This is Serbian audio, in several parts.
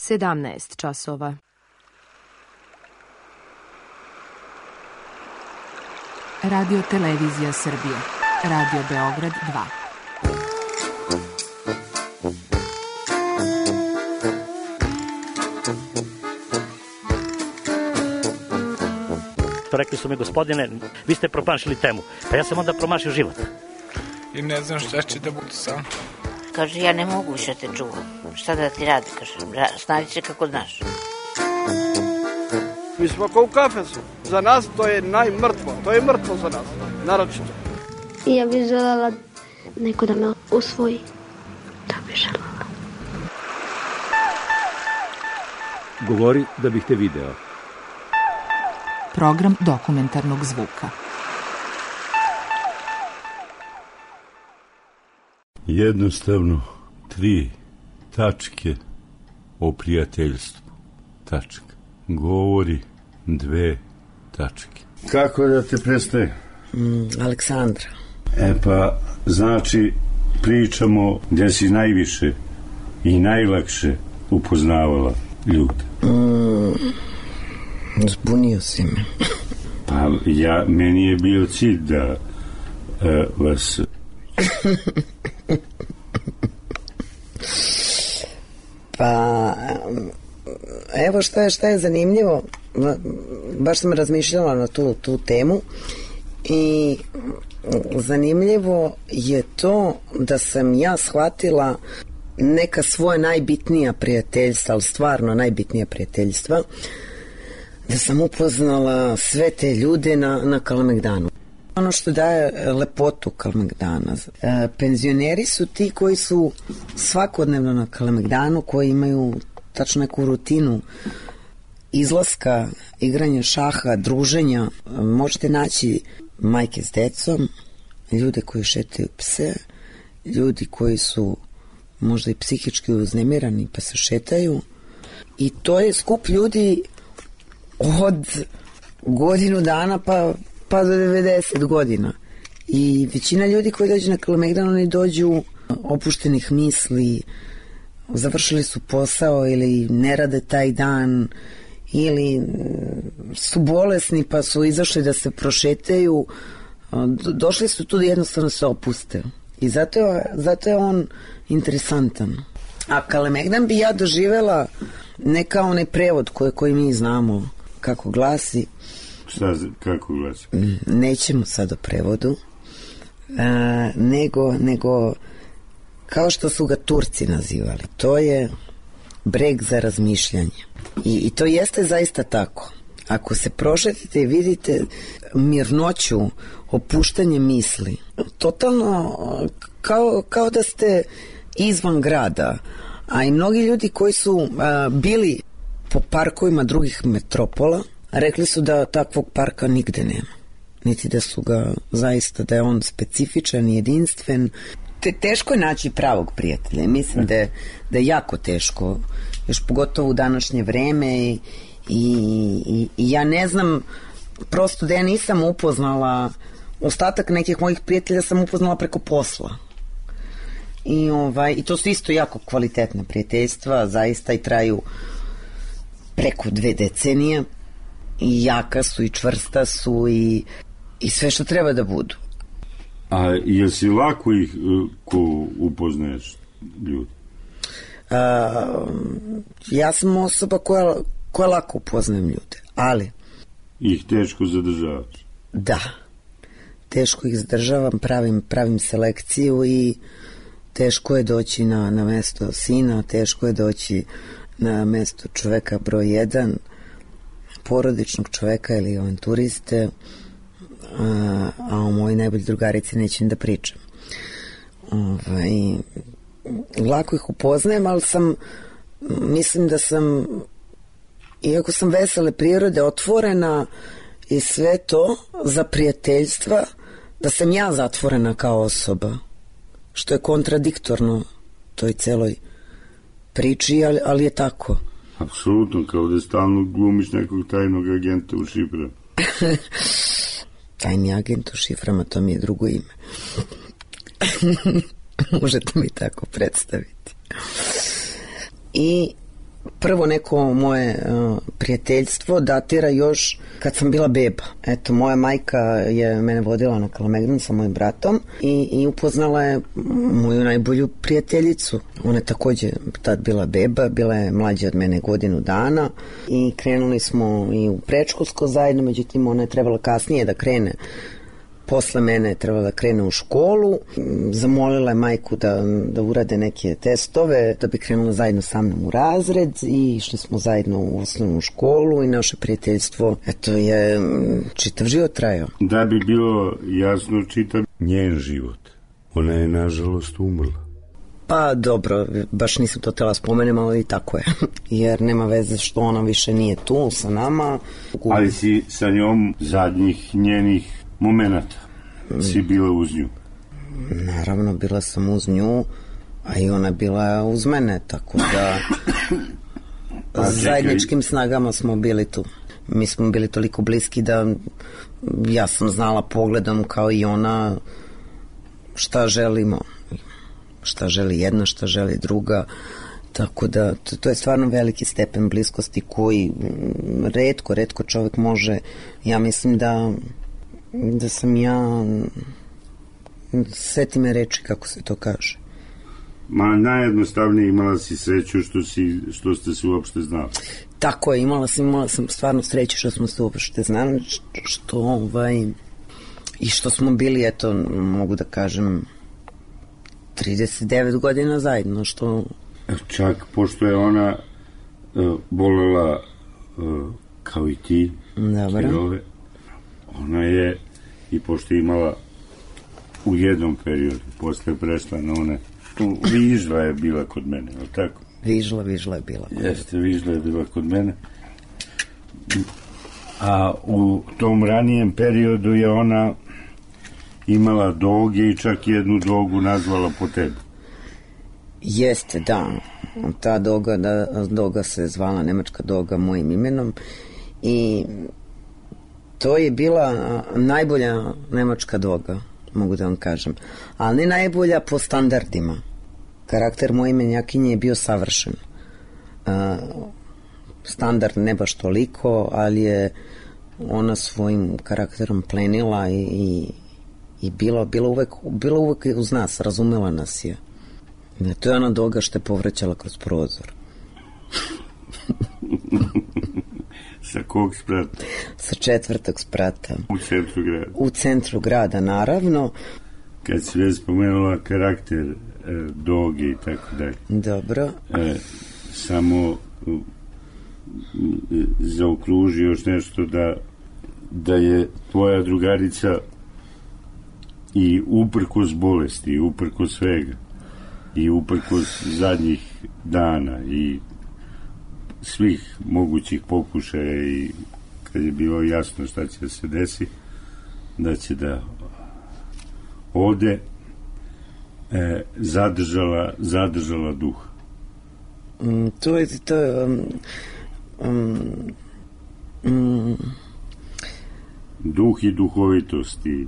17 časova. Radio Televizija Srbije. Radio Beograd 2. Rekli su mi, gospodine, vi ste promašili temu. Pa ja sam onda promašio život. I ne znam šta će da bude sam. Kaže, ja ne mogu više te čuvam. Šta da ti radi, kaže, snađi se kako znaš. Mi smo kao u kafesu. Za nas to je najmrtvo. To je mrtvo za nas, naročito. I ja bih željela neko da me usvoji. To bih željela. Govori da bih te video. Program dokumentarnog zvuka. Jednostavno 3 tačke o prijateljstvu. Tačka. Govori 2 tačke. Kako da te predstavim? Aleksandra. Pa, znači, pričamo gdje si najviše i najlakše upoznavala ljude. Zbunio si me. Pa, meni je bio cilj da vas... Pa, evo šta je zanimljivo, baš sam razmišljala na tu temu i zanimljivo je to da sam ja shvatila neka svoja najbitnija prijateljstva, ali stvarno najbitnija prijateljstva, da sam upoznala sve te ljude na Kalemegdanu. Ono što daje lepotu Kalemegdana. Penzioneri su ti koji su svakodnevno na Kalemegdanu, koji imaju tačno neku rutinu izlaska, igranja šaha, druženja. Možete naći majke s decom, ljude koji šetaju pse, ljudi koji su možda i psihički uznemirani pa se šetaju. I to je skup ljudi od godinu dana pa do 90 godina. I većina ljudi koji dođu na Kalemegdan, oni dođu opuštenih misli, završili su posao ili ne rade taj dan, ili su bolesni pa su izašli da se prošetaju. Došli su tu da jednostavno se opuste. I zato je on interesantan. A Kalemegdan bi ja doživela ne kao onaj prevod koji mi znamo kako glasi. Kako glasi? Nećemo sad o prevodu, nego kao što su ga Turci nazivali. To je breg za razmišljanje. I to jeste zaista tako. Ako se prošetite i vidite mirnoću, opuštanje misli, totalno kao da ste izvan grada. A i mnogi ljudi koji su bili po parkovima drugih metropola, rekli su da takvog parka nigde nema. Niti da su ga zaista, da je on specifičan i jedinstven. Teško je naći pravog prijatelja. Mislim da je jako teško, još pogotovo u današnje vreme i ja ne znam, prosto da ja nisam upoznala, ostatak nekih mojih prijatelja sam upoznala preko posla. I to su isto jako kvalitetna prijateljstva, zaista i traju preko 2 decenije i jaka su i čvrsta su i sve što treba da budu. A je si lako ih ko upoznaješ ljudi? Ja sam osoba koja lako upoznajem ljude, ali ih teško zadržavaš? Da, teško ih zadržavam, pravim selekciju i teško je doći na mesto sina, teško je doći na mesto čoveka broj 1, porodičnog čoveka ili avanturiste, a o mojoj najbolji drugarici nećem da pričam. Lako ih upoznajem, ali mislim da sam, iako sam vesele prirode, otvorena i sve to za prijateljstva, da sam ja zatvorena kao osoba, što je kontradiktorno toj celoj priči, ali je tako. Apsolutno, kao da stalno glumiš nekog tajnog agenta u šiframa. Tajni agent u šiframa, to mi je drugo ime. Možete mi tako predstaviti. I prvo neko moje prijateljstvo datira još kad sam bila beba. Eto, moja majka je mene vodila na Kalemegdan sa mojim bratom i upoznala je moju najbolju prijateljicu. Ona je takođe tad bila beba, bila je mlađa od mene godinu dana i krenuli smo i u predškolsko zajedno, međutim ona je trebala kasnije da krene. Posle mene je trebala da krene u školu, zamolila je majku da urade neke testove, da bi krenula zajedno sa mnom u razred i išli smo zajedno u osnovnu školu i naše prijateljstvo, eto, je čitav život trajao. Da bi bilo jasno čitav njen život, ona je nažalost umrla. Pa dobro, baš nisam to htjela spomenem, ali i tako je. Jer nema veze što ona više nije tu sa nama. Ali si sa njom zadnjih njenih momenata si bila uz nju? Naravno, bila sam uz nju, a i ona bila uz mene, tako da zajedničkim snagama smo bili tu. Mi smo bili toliko bliski da ja sam znala pogledom kao i ona šta želimo, šta želi jedna, šta želi druga, tako da to je stvarno veliki stepen bliskosti koji retko čovjek može. Ja mislim da sam ja, seti me reči kako se to kaže. Ma najjednostavnije, imala si sreću što ste se uopšte znali. Tako je, imala sam stvarno sreću što smo se uopšte znali, i što smo bili, eto, mogu da kažem, 39 godina zajedno, što... Čak, pošto je ona volela kao i ti, Kirove, ona je, i pošto je imala u jednom periodu, posle prešla na one, Vižla je bila kod mene, je li tako? Vižla je bila. Jeste, Vižla je bila kod mene. A u tom ranijem periodu je ona imala doge i čak jednu dogu nazvala po tebi. Jeste, da. Ta doga se zvala nemačka doga mojim imenom i to je bila najbolja nemačka doga, mogu da vam kažem. Ali ne najbolja po standardima. Karakter moje imenjakinje je bio savršen. Standard ne baš toliko, ali je ona svojim karakterom plenila i bila uvek uz nas, razumela nas je. To je ona doga što je povraćala kroz prozor. Sa kog sprata? Sa 4. sprata. U centru grada? U centru grada, naravno. Kad si već spomenula karakter doge i tako dalje. Dobro. Samo zaokruži još nešto da je tvoja drugarica i uprkos bolesti, i uprkos svega, i uprkos zadnjih dana i svih mogućih pokušaja i kad je bilo jasno šta će da se desi, da će da ode, zadržala duh. To je duh i duhovitost i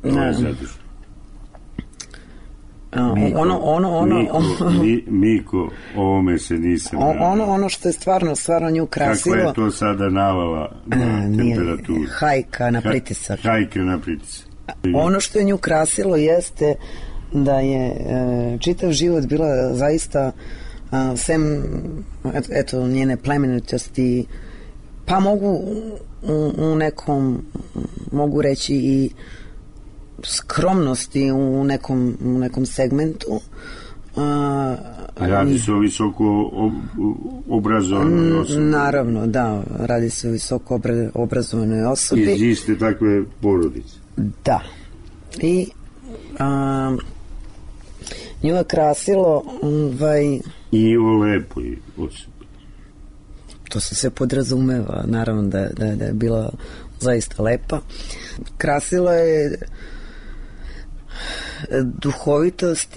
to je zadržano. Miko, ovome se nisam ono što je stvarno nju krasilo. Kako je to sada navala na temperaturu? Hajka na pritisak. Ono što je nju krasilo jeste da je čitav život bila zaista sem eto njene plemenitosti, pa u nekom, mogu reći i skromnosti u nekom segmentu. Radi se o visoko obrazovanoj osobi. Naravno, da, radi se o visoko obrazovanoj osobi. Iz iste takve porodice. Da. I nju je krasilo i o lepoj osobi. To se sve podrazumeva, naravno da je bila zaista lepa. Krasilo je duhovitost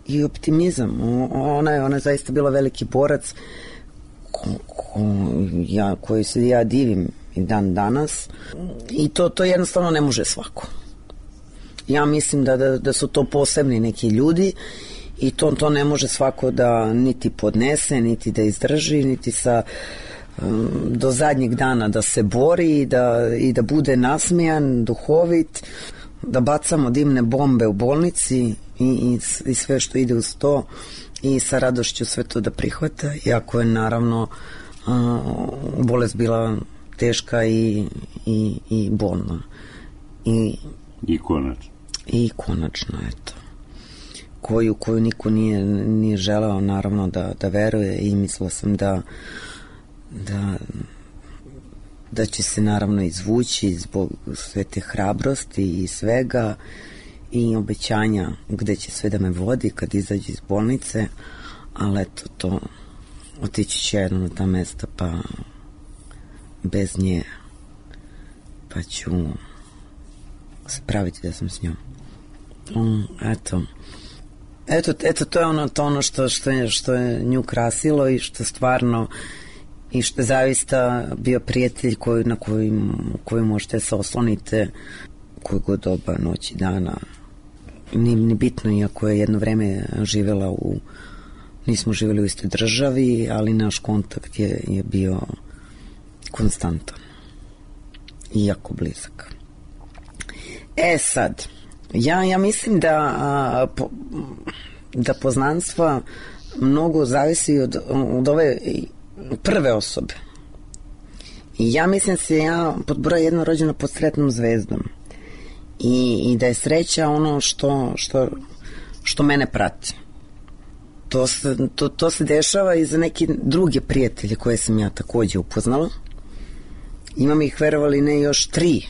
i optimizam. Ona je zaista bila veliki borac koji se ja divim i dan danas, i to jednostavno ne može svako. Ja mislim da su to posebni neki ljudi i to ne može svako da niti podnese, niti da izdrži, niti do zadnjeg dana da se bori i da bude nasmejan, duhovit, da bacamo dimne bombe u bolnici i sve što ide uz to i sa radošću sve to da prihvata, iako je naravno bolest bila teška i bolna. I konačno, eto. Koju niko nije želeo naravno da veruje i mislila sam da će se naravno izvući zbog sve te hrabrosti i svega i obećanja gde će sve da me vodi kad izađe iz bolnice, ali eto to, otići će jedno na ta mesta pa bez nje, pa ću se praviti da sam s njom. Eto, to je ono što je nju krasilo i što stvarno i što je zaista bio prijatelj na koji možete se oslonite koje god doba, noći, dana. Nije bitno, iako je jedno vreme živjela nismo živjeli u istoj državi, ali naš kontakt je bio konstantan i jako blizak. Sad, ja mislim da poznanstva mnogo zavisi od ove prve osobe. I ja mislim se ja pod broj 1 rođena pod sretnom zvezdom. I da je sreća ono što mene prati. To se dešava i za neke druge prijatelje koje sam ja takođe upoznala. Imam ih, verovali ne, još 3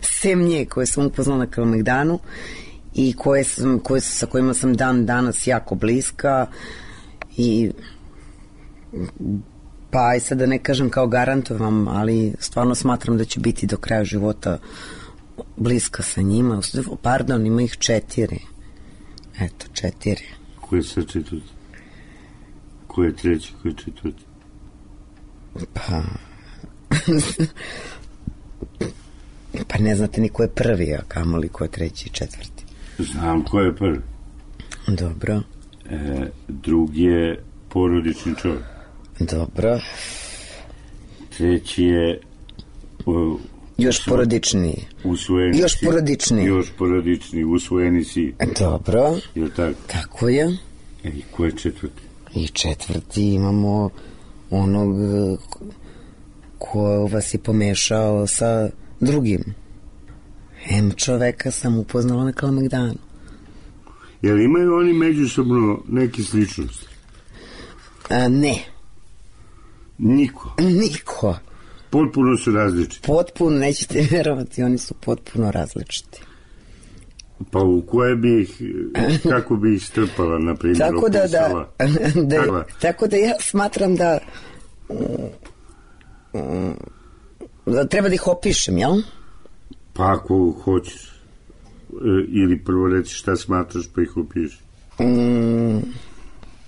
sem nje koje sam upoznala na Kalemegdanu i sa kojima sam dan danas jako bliska i pa i sad da ne kažem kao garantujem, ali stvarno smatram da ću biti do kraja života bliska sa njima. Pardon, ima ih 4. Eto, 4. Ko je sa 4? Ko je 3? Ko je 4? Pa ne znate ni ko je prvi, a kamoli ko je 3. i 4. Znam ko je prvi. Dobro. Drugi je porodični čovjek. Dobro. 3. je još porodičniji. Još porodičniji, usvojeni si. Dobro. Je tako? Tako je. I ko je 4? I 4. imamo onog ko vas je pomešao sa drugim. Čoveka sam upoznala na Kalemegdanu. Jel imaju oni međusobno neke sličnosti? Ne. Niko? Potpuno su različiti? Potpuno, nećete verovati, oni su potpuno različiti. Pa u koje bi ih, kako bi ih strpala, na primjer, opisala? Tako da ja smatram da treba da ih opišem, jel? Pa ako hoćeš. Ili prvo reći šta smatraš pa ih opiši.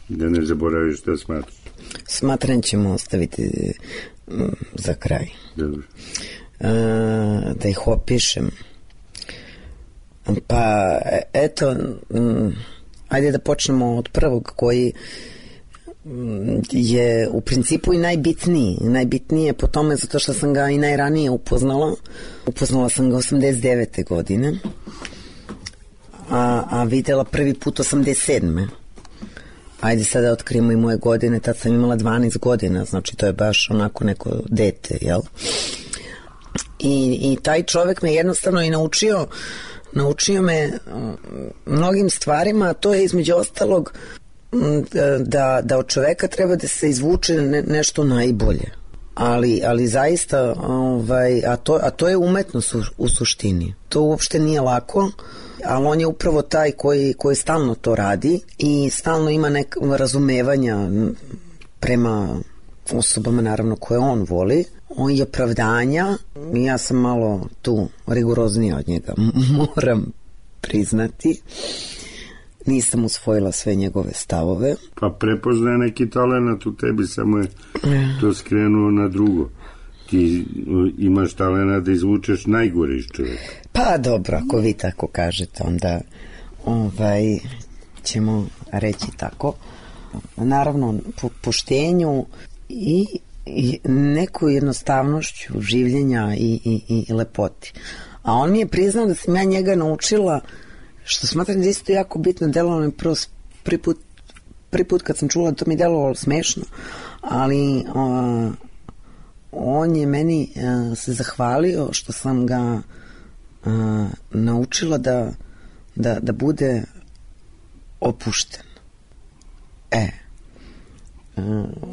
Da ne zaboraviš šta smatraš. Smatram ćemo ostaviti za kraj. Dobro. Da ih opišem. Pa eto, ajde da počnemo od prvog koji je u principu i najbitniji. Najbitniji je po tome zato što sam ga i najranije upoznala. Upoznala sam ga 89. godine, a videla prvi put 87. Ajde sada da otkrijemo i moje godine, tad sam imala 12 godina, znači to je baš onako neko dete, jel? I taj čovek me jednostavno i naučio me mnogim stvarima, a to je između ostalog da od čoveka treba da se izvuče nešto najbolje. Ali zaista, a to je umetnost u suštini. To uopšte nije lako, ali on je upravo taj koji stalno to radi i stalno ima neko razumevanja prema osobama, naravno, koje on voli. On je opravdanja, ja sam malo tu rigoroznija od njega, moram priznati. Nisam usvojila sve njegove stavove. Pa prepoznaje neki talenat u tebi, samo je to skrenuo na drugo. Ti imaš talenat da izvučeš najgore iz čovjeka. Pa dobro, ako vi tako kažete, ćemo reći tako. Naravno, poštenju i neku jednostavnošću življenja i lepoti. A on mi je priznao da sam ja njega naučila, što smatram da isto jako bitno, delovalo mi prvi put kad sam čula, to mi delovalo smešno, ali on je meni se zahvalio što sam ga naučila da bude opušten.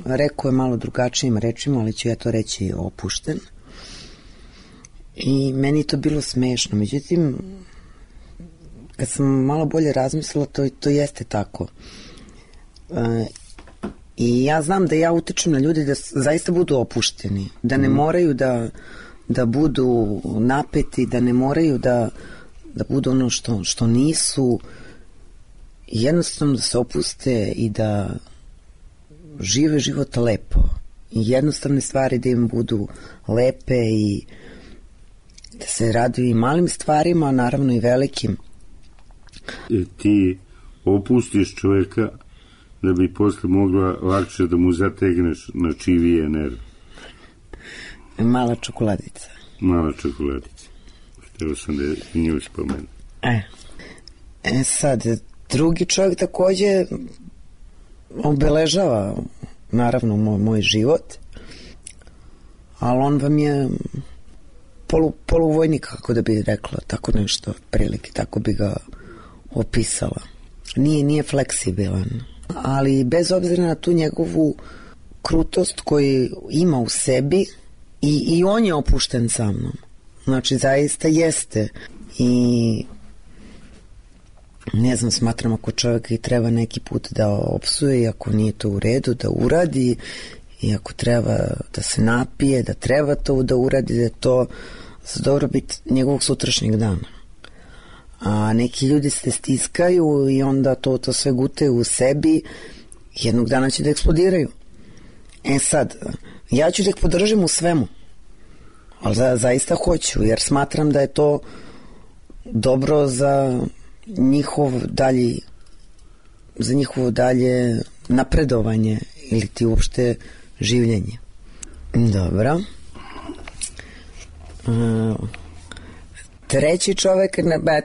Rekao je malo drugačijim rečima, ali ću ja to reći opušten. I meni to bilo smešno. Međutim, kad sam malo bolje razmislila, to jeste tako. I ja znam da ja utičem na ljude da zaista budu opušteni, da ne moraju da budu napeti, da ne moraju da budu ono što nisu, jednostavno da se opuste i da žive život lepo. I jednostavne stvari da im budu lepe i da se raduju i malim stvarima, naravno i velikim. Ti opustiš čovjeka da bi posle mogla lakše da mu zategneš na čivije nerve. Mala čokoladica. Mala čokoladica. Htio sam da nju spomenu. Sad, drugi čovjek takođe obeležava naravno moj život, ali on vam je poluvojnik, kako da bi rekla, tako nešto, prilike, tako bi ga opisala. Nije fleksibilan, ali bez obzira na tu njegovu krutost koju ima u sebi, i on je opušten sa mnom. Znači, zaista jeste. I ne znam, smatram ako čovjek i treba neki put da opsuje i ako nije to u redu da uradi, i ako treba da se napije, da treba to da uradi, da je to za dobrobit njegovog sutrašnjeg dana. A neki ljudi se stiskaju i onda to sve gutaju u sebi, jednog dana će da eksplodiraju. Sad, ja ću da ih podržim u svemu, ali zaista hoću, jer smatram da je to dobro za njihovo dalje napredovanje ili ti uopšte življenje. Dobro. Treći čovek,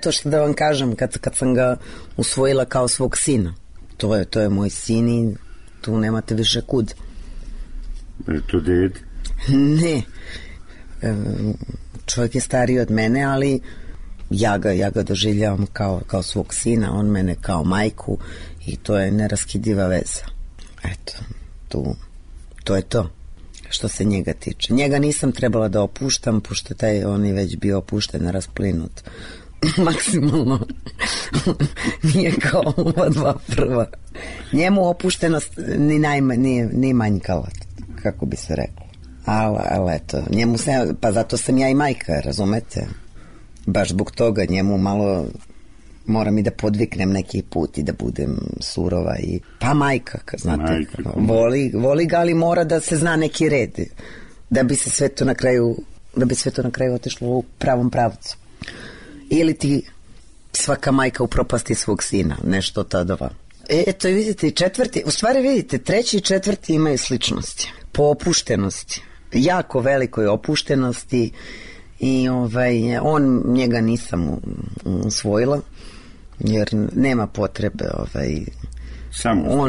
to što da vam kažem, kad sam ga usvojila kao svog sina, to je moj sin i tu nemate više kud. Je to ded? Ne. Čovjek je stariji od mene, ali ja ga doživljavam kao svog sina, on mene kao majku, i to je neraskidiva veza. Eto, to je to što se njega tiče. Njega nisam trebala da opuštam, pošto on je već bio opušten, rasplinut maksimalno. Nije kao ova dva prva. Njemu opuštenost ni manjkala, kako bi se reklo. Ali eto, njemu pa zato sam ja i majka, razumete? Baš zbog toga njemu malo moram i da podviknem neki put i da budem surova i pa majka, znate, voli ga, ali mora da se zna neki red da bi se sve to na kraju otišlo u pravom pravcu. Ili ti svaka majka upropasti svog sina, nešto tadova. Eto, vidite, treći i četvrti imaju sličnosti po opuštenosti, jako velikoj opuštenosti. I njega nisam usvojila, jer nema potrebe.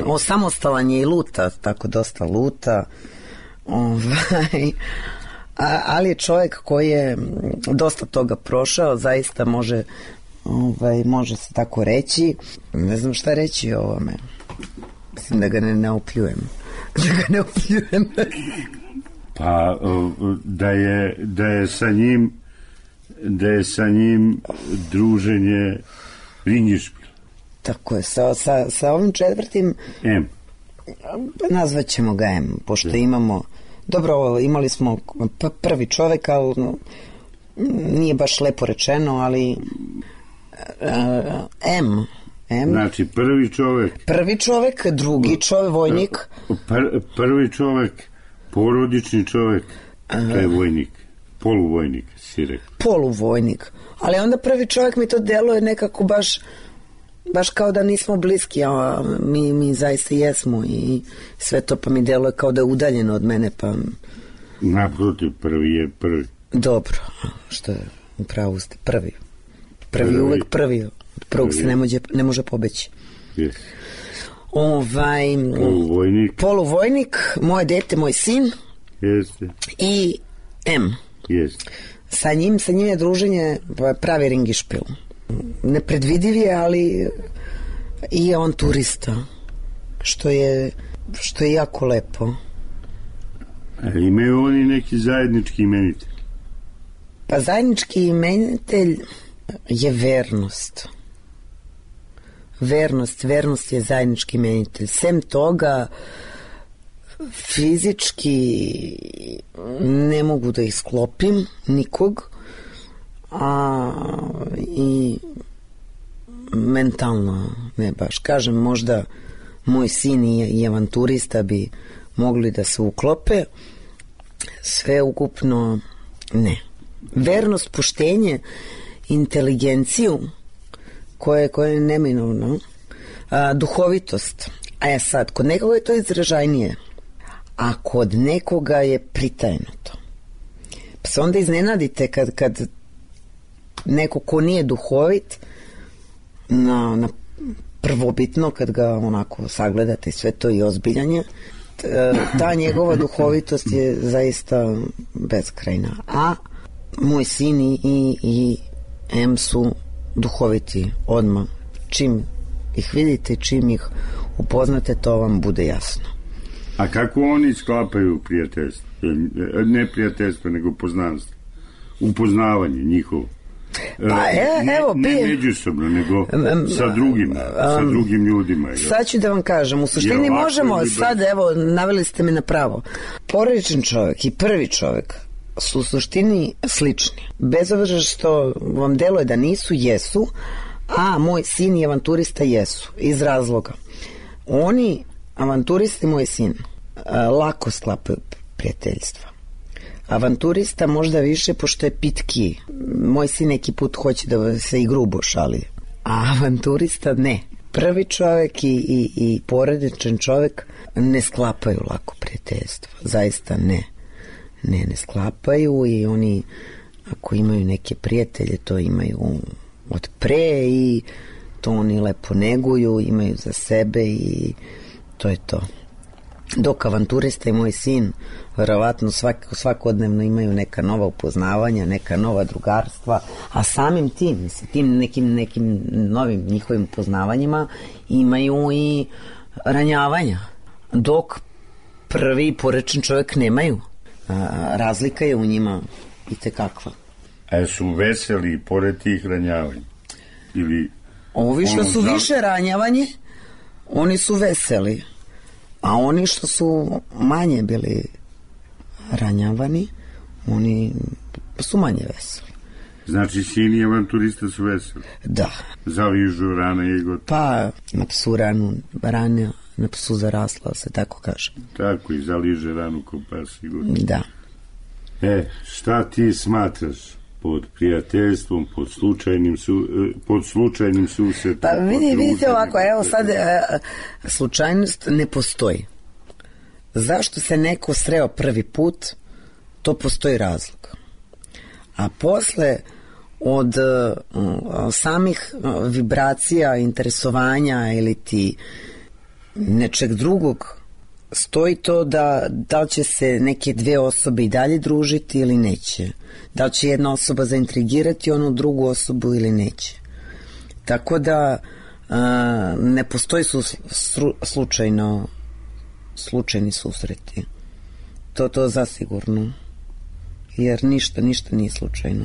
On samostalan je i luta, tako dosta luta. Ali je čovjek koji je dosta toga prošao, zaista može se tako reći. Ne znam šta reći o ovome. Mislim da ga ne opljujem. Pa da je sa njim druženje ringišpil. Tako je, sa ovim četvrtim M. Nazvaćemo ga M, pošto imali smo prvi čovek, ali nije baš lepo rečeno, ali M. Znači prvi čovek, drugi čovek, vojnik. Prvi čovek, porodični čovek, to je vojnik, poluvojnik, si rekao. Poluvojnik, ali onda prvi čovek mi to deluje nekako baš baš kao da nismo bliski, a mi zaista jesmo i sve to pa mi deluje kao da je udaljeno od mene, pa... Naprotiv, prvi je prvi. Dobro, što je, upravo ste, prvi uvek prvi, od prvog se ne može pobeći. Yes. Poluvojnik, moje dete, moj sin. Jeste. I M. Jeste. Sa njim je druženje pravi ringišpil. Nepredvidiv je, ali i on turista, što je jako lepo. Imaju oni neki zajednički imenitelj? Pa zajednički imenitelj je vernost. Vernost je zajednički imenitelj. Sem toga, fizički ne mogu da ih sklopim nikog, a i mentalno ne baš. Kažem, možda moj sin i avanturista bi mogli da se uklope, sve ukupno ne. Vernost, poštenje, inteligenciju koje je neminovno, duhovitost. A sad, kod nekoga je to izražajnije, a kod nekoga je pritajnuto. Pa se onda iznenadite kad neko ko nije duhovit, na prvobitno, kad ga onako sagledate i sve to i ozbiljanje, ta njegova duhovitost je zaista beskrajna. A moj sin i M su duhoviti odmah. Čim ih vidite, čim ih upoznate, to vam bude jasno. A kako oni sklapaju prijateljstvo? Ne prijateljstvo, nego poznanstvo. Upoznavanje njihovo. Ne međusobno, nego sa drugim ljudima. Sad ću da vam kažem, u suštini možemo, sad evo, naveli ste me na pravo. Porodičan čovjek i prvi čovjek su u suštini slični. Bez obzira što vam deluje da nisu, jesu, a moj sin i avanturista jesu, iz razloga. Oni, avanturisti, moj sin, lako sklapaju prijateljstva. Avanturista možda više, pošto je pitki. Moj sin neki put hoće da se i grubo šali, a avanturista ne. Prvi čovjek i porodičan čovjek ne sklapaju lako prijateljstva. Zaista ne. Ne sklapaju i oni, ako imaju neke prijatelje, to imaju od pre i to oni lepo neguju, imaju za sebe i to je to. Dok avanturista i moj sin verovatno svakodnevno imaju neka nova upoznavanja, neka nova drugarstva, a samim tim nekim novim njihovim upoznavanjima imaju i ranjavanja, dok prvi porečan čovjek nemaju. Razlika je u njima i tekakva. A su veseli pored tih ranjavanja? Ili ovi što su više ranjavanje, oni su veseli, a oni što su manje bili ranjavani, oni su manje veseli. Znači sin i avanturista su veseli? Da. Zaližu rane i gotovo? Pa na psu rana, na psu zarasla, se tako kaže. Tako, i zaliže ranu ko pas i gotovo. Da. Šta ti smatraš pod prijateljstvom, pod slučajnim susretom? Pa vidite ovako, evo sad slučajnost ne postoji. Zašto se neko sreo prvi put, to postoji razlog. A posle od samih vibracija, interesovanja ili ti nečeg drugog, stoji to da li će se neke dve osobe i dalje družiti ili neće. Da li će jedna osoba zaintrigirati onu drugu osobu ili neće. Tako da ne postoji slučajni susreti. To zasigurno. Jer ništa nije slučajno.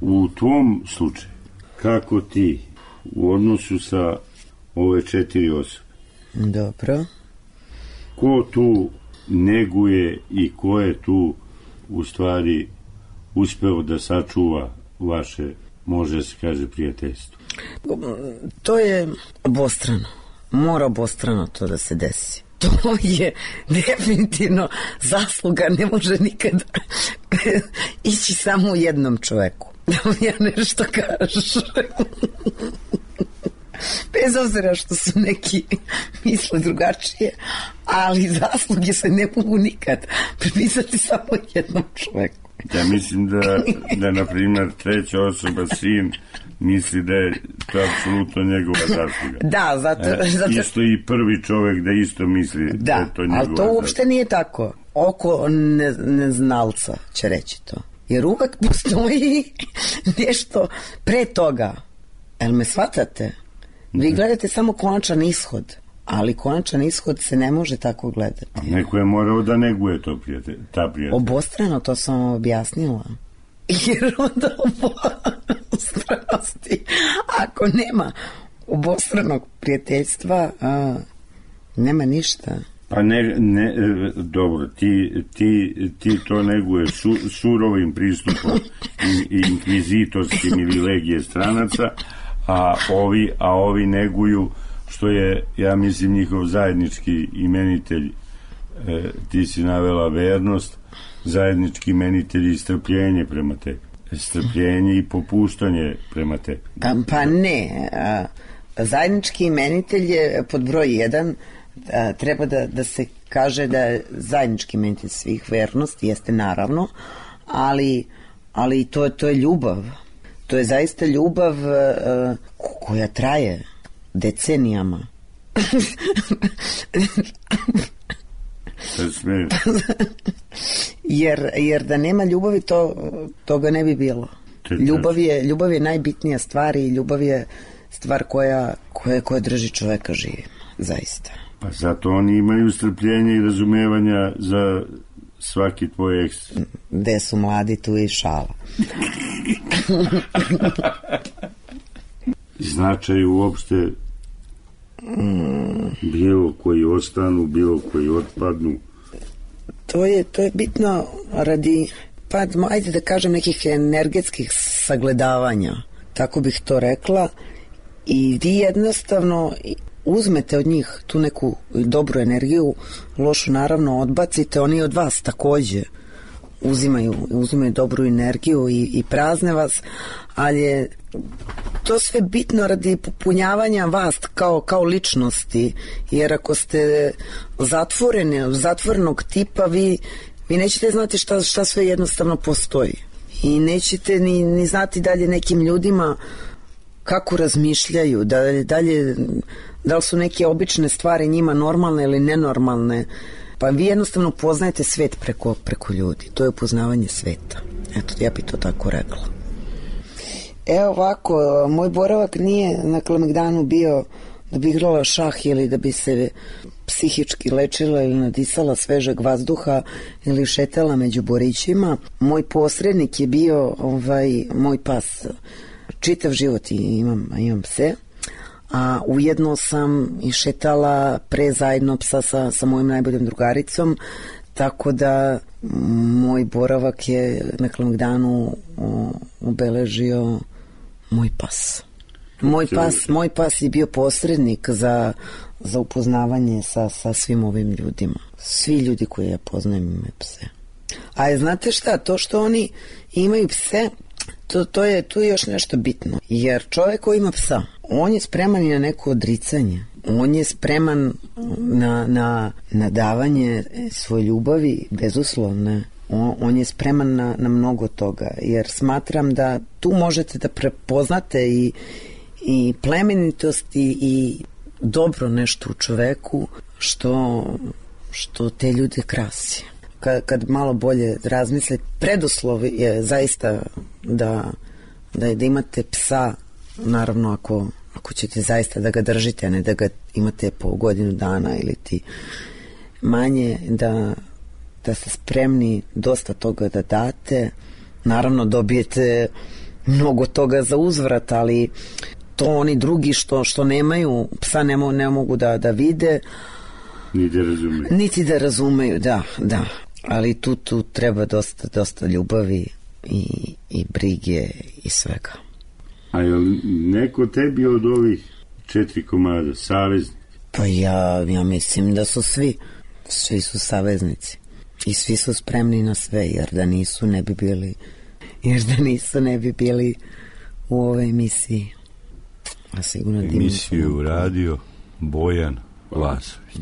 U tvom slučaju, kako ti u odnosu sa ove 4 osobe? Dobro. Ko tu neguje i ko je tu u stvari uspeo da sačuva vaše, može se kaže, prijateljstvo? To je obostrano. Mora obostrano to da se desi. To je definitivno zasluga, ne može nikada ići samo u jednom čoveku. Da mi ja nešto kažem. Bez obzira što su neki misle drugačije, ali zasluge se ne mogu nikad pripisati samo jednom čoveku. Ja mislim da na primjer, treća osoba, sin, misli da je to apsolutno njegova zasluga. Da, zato... Isto i prvi čovek da isto misli da je to njegova zasluga. Ali to uopšte nije tako. Oko neznalca će reći to. Jer uvek postoji nešto pre toga. Jel me shvatate? Vi gledate samo konačan ishod, ali konačan ishod se ne može tako gledati. A neko je morao da neguje ta prijatelj. Obostrano, to sam vam objasnila. Jer onda obostranosti, ako nema obostranog prijateljstva, nema ništa. Pa dobro, ti to neguješ surovim pristupom inkvizitorskim ili legije stranaca, a ovi neguju, što je, ja mislim, njihov zajednički imenitelj, ti si navela vernost, zajednički imenitelj i strpljenje prema tebi. Strpljenje i popuštanje prema tebi. Pa ne, zajednički imenitelj je pod broj 1, treba da se kaže da je zajednički imenitelj svih vernost, jeste naravno, ali to je ljubav. To je zaista ljubav koja traje decenijama. Jer da nema ljubavi, toga ne bi bilo. Ljubav je najbitnija stvar i ljubav je stvar koja drži čoveka živi, zaista. Pa zato oni imaju strpljenje i razumevanja za svaki tvoj eks. Gde su mladi, tu je i šala. Značaj uopšte bilo koji ostanu, bilo koji otpadnu. To je bitno radi, pa ajde da kažem, nekih energetskih sagledavanja, tako bih to rekla, i vi jednostavno uzmete od njih tu neku dobru energiju, lošu naravno odbacite, oni od vas takođe uzimaju dobru energiju i prazne vas, ali je to sve bitno radi popunjavanja vas kao ličnosti, jer ako ste zatvorenog tipa, vi nećete znati šta sve jednostavno postoji i nećete ni znati dalje nekim ljudima kako razmišljaju, da li su neke obične stvari njima normalne ili nenormalne. Pa vi jednostavno poznajete svet preko ljudi. To je upoznavanje sveta. Eto, ja bi to tako rekla. Evo ovako, moj boravak nije na Kalemegdanu bio da bi igrala šah ili da bi se psihički lečila ili nadisala svežeg vazduha ili šetala među borićima. Moj posrednik je bio moj pas. Čitav život imam pse, a ujedno sam i šetala pre zajedno psa sa mojim najboljom drugaricom, tako da moj boravak je na Kalemegdanu obeležio moj pas. Moj pas je bio posrednik za upoznavanje sa svim ovim ljudima. Svi ljudi koje ja poznajem imaju pse. A znate šta, to što oni imaju pse, tu je još nešto bitno. Jer čovjek koji ima psa, on je spreman i na neko odricanje. On je spreman na davanje svoje ljubavi bezuslovne. On je spreman na mnogo toga. Jer smatram da tu možete da prepoznate i plemenitost i dobro nešto u čoveku što te ljude krasi. Kad malo bolje razmislite, preduslov je zaista da imate psa, naravno ako ćete zaista da ga držite, a ne da ga imate po godinu dana ili ti manje, da ste spremni dosta toga da date. Naravno dobijete mnogo toga za uzvrat, ali to oni drugi što nemaju psa ne mogu da vide niti da razumeju, da. Ali tu treba dosta ljubavi i brige i svega. A je li neko tebi od ovih 4 komada saveznik? Pa ja mislim da su svi su saveznici i svi su spremni na sve, jer da nisu ne bi bili u ovoj emisiji. A sigurno emisiju radio Bojan Lasović.